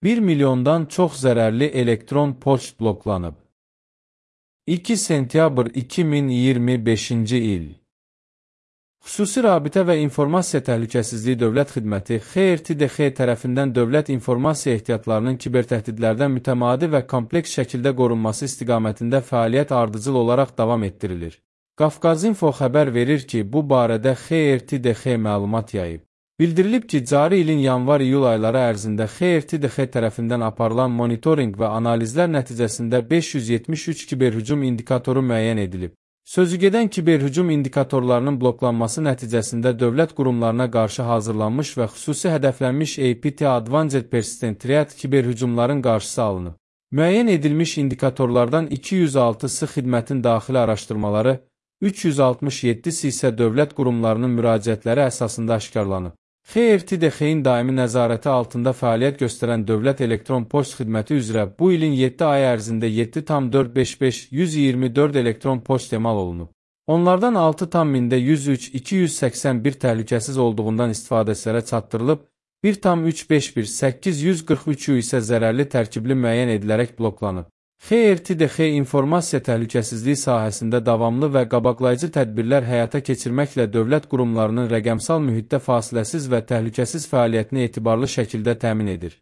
1 milyondan çox zərərli elektron poçt bloklanıb. 2 sentyabr 2025-ci il. Xüsusi Rabitə və İnformasiya Təhlükəsizliyi Dövlət Xidməti XRTDX tərəfindən dövlət informasiya ehtiyatlarının kibertəhdidlərdən mütəmadi və kompleks şəkildə qorunması istiqamətində fəaliyyət ardıcıl olaraq davam etdirilir. Qafqazinfo xəbər verir ki, bu barədə XRTDX məlumat yayıb. Bildirilib ki, cari ilin yanvar-iyul ayları ərzində XRTDX tərəfindən aparılan monitorinq və analizlər nəticəsində 573 kiberhücum indikatoru müəyyən edilib. Sözügedən kiberhücum indikatorlarının bloklanması nəticəsində dövlət qurumlarına qarşı hazırlanmış və xüsusi hədəflənmiş APT Advanced Persistent Threat kiberhücumların qarşısı alınıb. Müəyyən edilmiş indikatorlardan 206-sı xidmətin daxili araşdırmaları, 367-si isə dövlət qurumlarının müraciətləri əsasında aşkarlanıb. XRTDX-in daimi nəzarəti altında fəaliyyət göstərən Dövlət Elektron Poçt Xidməti üzrə bu ilin 7 ay ərzində 7,455,124 elektron poçt emal olunub. Onlardan 6,103,281 təhlükəsiz olduğundan istifadəçilərə çatdırılıb, 1,351,843 isə zərərli tərkibli müəyyən edilərək bloklanıb. XRTDX informasiya təhlükəsizliyi sahəsində davamlı və qabaqlayıcı tədbirlər həyata keçirməklə dövlət qurumlarının rəqəmsal mühitdə fasiləsiz və təhlükəsiz fəaliyyətini etibarlı şəkildə təmin edir.